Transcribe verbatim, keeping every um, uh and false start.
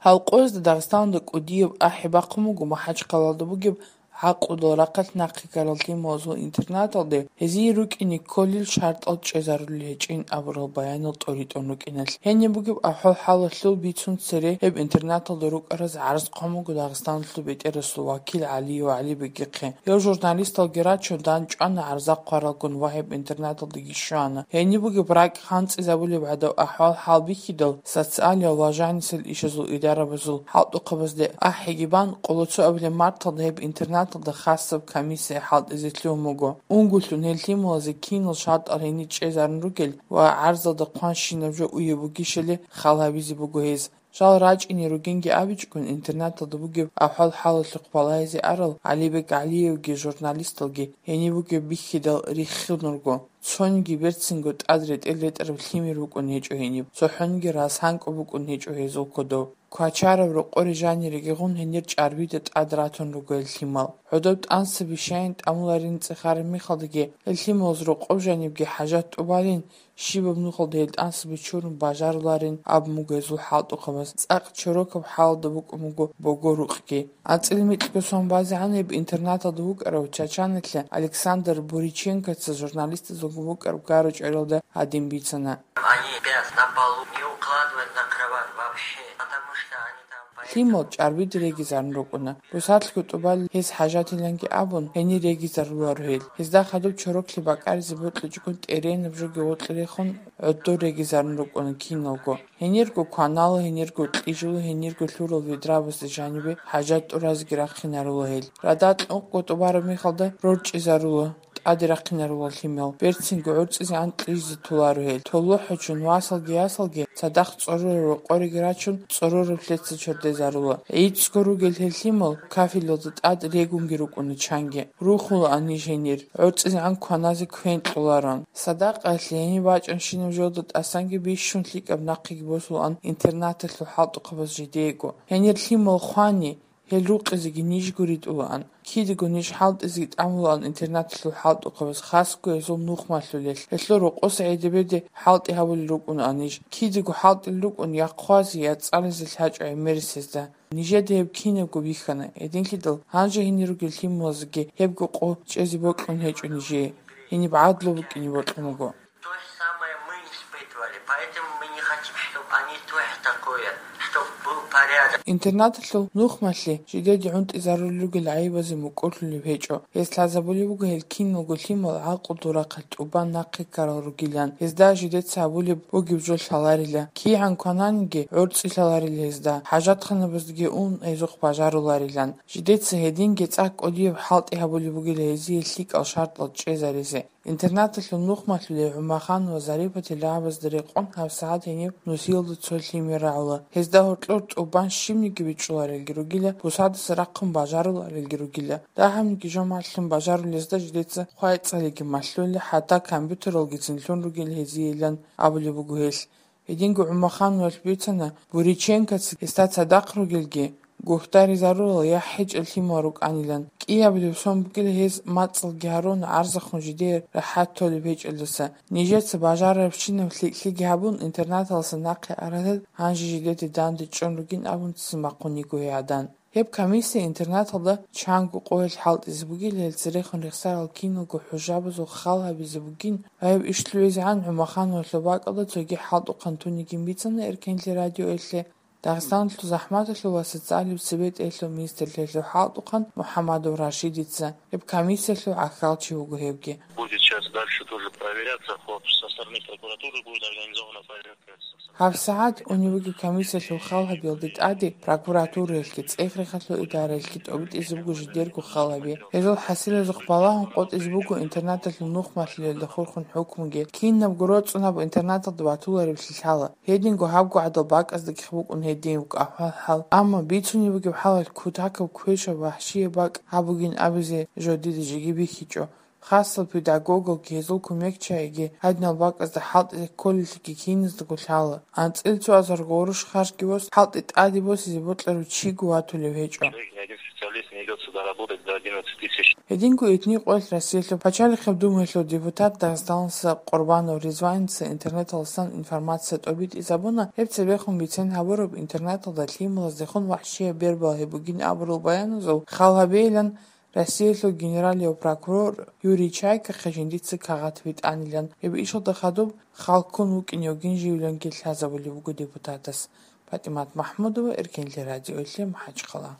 Гьал къоязда Дагъистаналда кӀудияб ахӀи бахъун буго МахӀачхъалаялда бугеб гӀакълудал рахъалъ нахъе ккарал лъималазул интернаталде, гьезие рукӀине кколел шартӀал чӀезарулел гьечӀин абурал баянал тӀоритӀун рукӀиналъ. Гьениб бугеб ахӀвал-хӀалалъул бицун цере гьеб интернаталда рукӀараз гӀарз хъван буго Дагъистаналъул бетӀерасул вакил ГӀалиев ГӀалибегихъе. Гьев журналисталги рачун, дандчӀвана гӀарза хъваралгун ва гьеб интернаталдаги щвана. Гьениб бугеб ракӀ ханцӀизабулеб гӀадаб ахӀвал-хӀал бихьидал, социалиял ва жанисел ишазул идарабазул хӀалтӀухъабазде ахӀиги бан, къоло цоабилеб марталда гьеб интернаталда хасаб комиссия хӀалтӀизе лъугьун буго. Унгулъун гьел лъималазе кинал шартӀал гьенир чӀезарун ругел ва гӀарзалда хъванщинаб жо уеб бугищали хал гьабизе буго гьез. Жал рачӀине ругинги абичӀгун, интернаталда бугеб ахӀвал-хӀалалъухъ балагьизе арал ГӀалибек ГӀалиевги журналисталги гьениб бугеб бихьидал риххун руго. Цониги берцинго тӀад ретӀел ретӀараб лъимер букӀун гьечӀо гьениб, цохӀониги расанкӀо букӀун гьечӀо гьезул кодоб. Квачараб рокъоре жаниреги гъун гьенир чӀарбида тӀад ратун руго гьел лъимал. ГӀодоб тӀансаби щайин тӀамуларин цӀехараб мехалдаги, гьел лъималаз рокъоб жанибги хӀажат тӀубалин, щибаб нухалда гьел тӀансаби чурун бажаруларин абун буго гьезул хӀалтӀухъабаз. ЦӀакъ чорокаб хӀалалда букӀун буго бого-рукъги. АнцӀила микьго сон базегӀан гьеб интернаталда вукӀарав Чачаналъа Александр Буриченкоца журналистазулгун букӀараб гъарачӀвариялда гьадин бицана. Они спят на полу, не укладывают на кровать вообще, потому что они там поэтому... Лъимал чӀарбида регизарун рукӀуна. Бусадлъго тӀубал гьез хӀажатиланги абун, гьенир регизаруларо гьел. Гьезда хадуб чороклъи бакӀаризе бокьичӀого тӀеренаб жоги гъоркье рехун, гӀодор регизарун рукӀуна киналго. Гьенирго кванала, гьенирго кьижула, гьенирго лъурал ведрабазда жанибе хӀажат тӀуразеги рахъинарула гьел. Радал кьукъго тӀубараб мехалда рорчӀизарула, тӀаде рахъинарула лъимал. Берцинго гӀорцӀизегӀан кьижизе толаро гьел. Толохъ гьечӀун васалги ясалги цадахъ цӀорораб рокъореги рачун, цӀорораб лъеца чордезарула. ГӀицӀго ругел гьел лъимал кафелалда тӀад регунги рукӀуна чанги. Рухулаан ниж гьенир, гӀорцӀизегӀан кваназе квен кьолароан. Садакъаялъе гьениб бачӀанщинаб жоялда тӀасанги бищун лъикӀаб нахъеги босулаан интернаталъул хӀалтӀухъабаз жидеего. Гьенир лъимал хвани, гьел рукъизеги ниж гуритӀулаан. Кидаго ниж хӀалтӀизеги тӀамулаан интернаталъул хӀалтӀухъабаз, хасго гьезул нухмалъулелъ. Гьелъул рокъоса гӀедебеде хӀалтӀи гьабулел рукӀунаан ниж. Кидаго хӀалтӀил рукӀун я хъвазе, я цӀализе лъачӀо гӀемерисезда. Нижеда гьеб кинабго бихьана, гьединлъидал гьанже гьенир ругел лъималазеги гьебго къо чӀезе бокьун гьечӀо нижее. Гьениб гӀадлу букӀине бокьун буго. То же самое мы испытывали, поэтому мы не хотим, чтобы они тоже такое, чтобы был порядок. Интернаталъул нухмалъе жидеде гӀунтӀизарулел ругел гӀайибазе мукӀурлъулеб гьечӀо. Гьез лъазабулеб буго гьел киналго лъимал гӀакълу дурахъалъ тӀубан нахъе ккарал ругилан. Гьезда жидеца гьабулеб бугеб жо лъаларила. КигӀан квананиги гӀорцӀи лъаларила гьезда. ХӀажатханабаздаги ун гьезухъ бажаруларилан. Жидеца гьединги цӀакъ кӀудияб хӀалтӀи гьабулеб бугила гьезие лъикӀал шартӀал чӀезаризе. Интернаталъул нухмалъулел ГӀумаханова Зарипатил рагӀабазда рекъон гьабсагӀат гьениб нусиялда цо лъимер рагӀула. Гьезда гьоркьор тӀубан щибниги бичӀчӀуларелги ругила, бусадаса рахъун бажаруларелги ругила. Дагьабниги жо малъун бажарулезда жидеца хъвай-цӀалиги малъула, хӀатта компьютералгицин лъун ругел гьезиелан абулеб буго гьелъ. Гьединго ГӀумахановалъ бицана, Буриченкоца гьесда цадахъ ругелги, гухтаризарулал я хӀечӀел лъимал рукӀанилан. КӀиабилеб сон букӀила гьез мацӀалги гьарун гӀарзахъун жидее рахӀат толеб гьечӀелдаса. Нижеца бажарарабщинаб лъикӀлъиги гьабун, интернаталдаса нахъе аразел гьанже жидеде данде чӀун ругин абун ццин бахъун йиго гьей гӀадан. Гьеб комиссия интернаталда чанго къоялъ хӀалтӀизе бугила, гьел церехун рехсарал киналго хӀужабазул хал гьабизе бугин ва гьеб иш лъугӀизегӀан ГӀумахановалъул бакӀалда цоги хӀалтӀухъан тунигин бицана Эркенлъи радиоялъе Дагъистаналъул захӀматалъул ва социалияб цебетӀеялъул министрлъиялъул хӀалтӀухъан МухӀамадов Рашидица. Гьеб комиссиялъул гӀахьалчи вуго гьевги. Будет сейчас дальше тоже проверяться по, со стороны прокуратуры будет организована проверка. ГьабсагӀат унеб бугеб комиссиялъул хал гьабиялде тӀаде прокуратураялъги, цӀех-рехалъул идараялъги тӀобитӀизе буго жидерго хал гьаби. Гьезул хӀасилазухъ балагьун къотӀизе буго интернаталъул нухмалъулелда хурхун хӀукмуги. Кинабго роцӀцӀунаб интернаталда батуларевлъи лъала. Гьединго гьабго гӀадал бакӀаздагихъ букӀун гьедин ахӀвал-хӀал. Амма бицунеб бугеб хӀалалъ кутакаб квешаб вахӀшияб бакӀ гьаб бугин абизе жо дида жеги бихьичӀо. Хасал педагогалги гьезул кумекчагӀиги гьадинал бакӀазда хӀалтӀизе кколеллъиги киназдаго лъала. АнцӀила цо азарго гъурущ харжги бос, хӀалтӀи тӀаде босизе бокьарав чиго ватулев гьечӀо. Лесный идёт сюда работать до одиннадцать тысяч. Гьединго итни къоялъ Россиялъул пачалихъаб думаялъул депутат Дагъистаналдаса Къурбанов Ризваница интернеталдасан информация тӀобитӀизабуна, гьеб цебехун бицен гьабураб интернеталда лъималаздехун вахӀшияб бер балгьи бугин абурал баяназул хал гьабейилан Россиялъул генералияв прокурор Юрий Чайкахъе жиндица кагъат битӀанилан, гьеб ишалда хадуб хал ккун вукӀине вугин живиланги лъазабулеб буго депутатас. ПатӀимат МахӀмудова, Эркенлъи радиоялъе, МахӀачхъала.